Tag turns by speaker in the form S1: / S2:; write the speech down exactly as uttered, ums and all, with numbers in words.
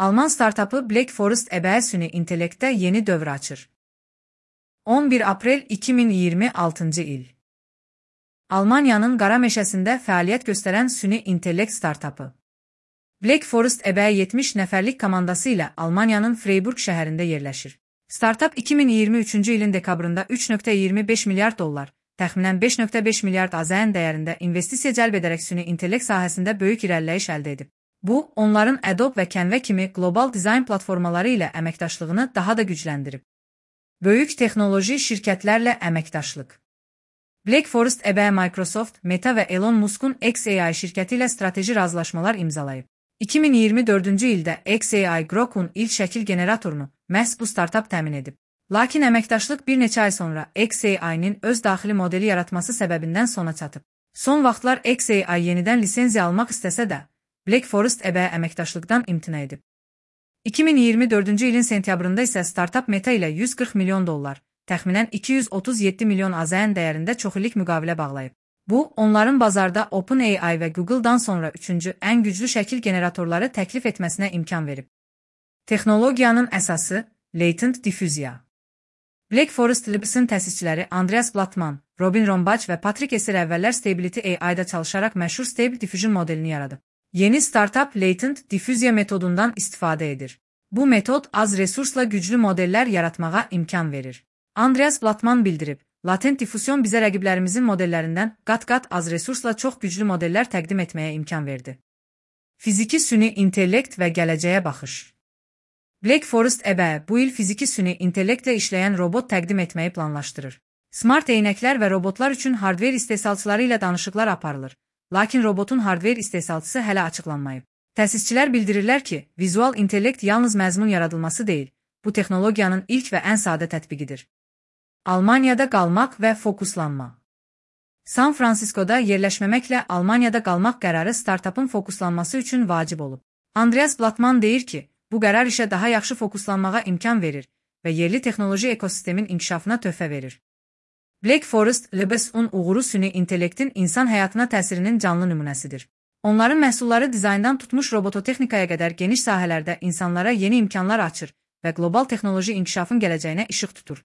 S1: Alman startapı Black Forest əbəyi süni intellektdə yeni dövr açır. on bir aprel iki min iyirmi altıncı il. Almaniyanın qara meşəsində fəaliyyət göstərən süni intellekt startapı. Black Forest əbəyi yetmiş nəfərlik komandası ilə Almaniyanın Freiburg şəhərində yerləşir. Startap iki min iyirmi üçüncü ilin dekabrında üç nöqtə iyirmi beş milyard dollar, təxminən beş nöqtə beş milyard AZN dəyərində investisiya cəlb edərək süni intellekt sahəsində böyük irəliləyiş əldə edib. Bu, onların Adobe və Canva kimi qlobal dizayn platformaları ilə əməkdaşlığını daha da gücləndirib. Böyük texnoloji şirkətlərlə əməkdaşlıq. Black Forest əbəyi Microsoft, Meta və Elon Musk'un X A I şirkəti ilə strateji razılaşmalar imzalayıb. iki min iyirmi dördüncü ildə X A I Grok'un ilk şəkil generatorunu məhz bu startap təmin edib. Lakin əməkdaşlıq bir neçə ay sonra X A I-nin öz daxili modeli yaratması səbəbindən sona çatıb. Son vaxtlar X A I yenidən lisenziya almaq istəsə də, Black Forest əbəyi əməkdaşlıqdan imtina edib. iki min iyirmi dördüncü ilin sentyabrında isə startap Meta ilə yüz qırx milyon dollar, təxminən iki yüz otuz yeddi milyon AZN dəyərində çoxillik müqavilə bağlayıb. Bu, onların bazarda OpenAI və Google-dan sonra üçüncü ən güclü şəkil generatorları təklif etməsinə imkan verib. Texnologiyanın əsası, Latent Diffusion. Black Forest Labs-ın təsisçiləri Andreas Blattmann, Robin Rombach və Patrick Esser əvvəllər Stability A I-da çalışaraq məşhur Stable Diffusion modelini yaradıb. Yeni startap Latent Diffusion metodundan istifadə edir. Bu metod az resursla güclü modellər yaratmağa imkan verir. Andreas Blattmann bildirib, Latent Diffusion bizə rəqiblərimizin modellərindən qat-qat az resursla çox güclü modellər təqdim etməyə imkan verdi. Fiziki süni intellekt və gələcəyə baxış. Black Forest əbəyi bu il fiziki süni intellektlə işləyən robot təqdim etməyi planlaşdırır. Smart eynəklər və robotlar üçün hardver istehsalçıları ilə danışıqlar aparılır. Lakin robotun hardver istehsalçısı hələ açıqlanmayıb. Təsisçilər bildirirlər ki, vizual intellekt yalnız məzmun yaradılması deyil, bu texnologiyanın ilk və ən sadə tətbiqidir. Almaniyada qalmaq və fokuslanma. San Fransiskoda yerləşməməklə Almaniyada qalmaq qərarı startapın fokuslanması üçün vacib olub. Andreas Blattmann deyir ki, bu qərar işə daha yaxşı fokuslanmağa imkan verir və yerli texnoloji ekosistemin inkişafına töhfə verir. Black Forest Labs-un uğuru süni intellektin insan həyatına təsirinin canlı nümunəsidir. Onların məhsulları dizayndan tutmuş robototexnikaya qədər geniş sahələrdə insanlara yeni imkanlar açır və qlobal texnoloji inkişafın gələcəyinə işıq tutur.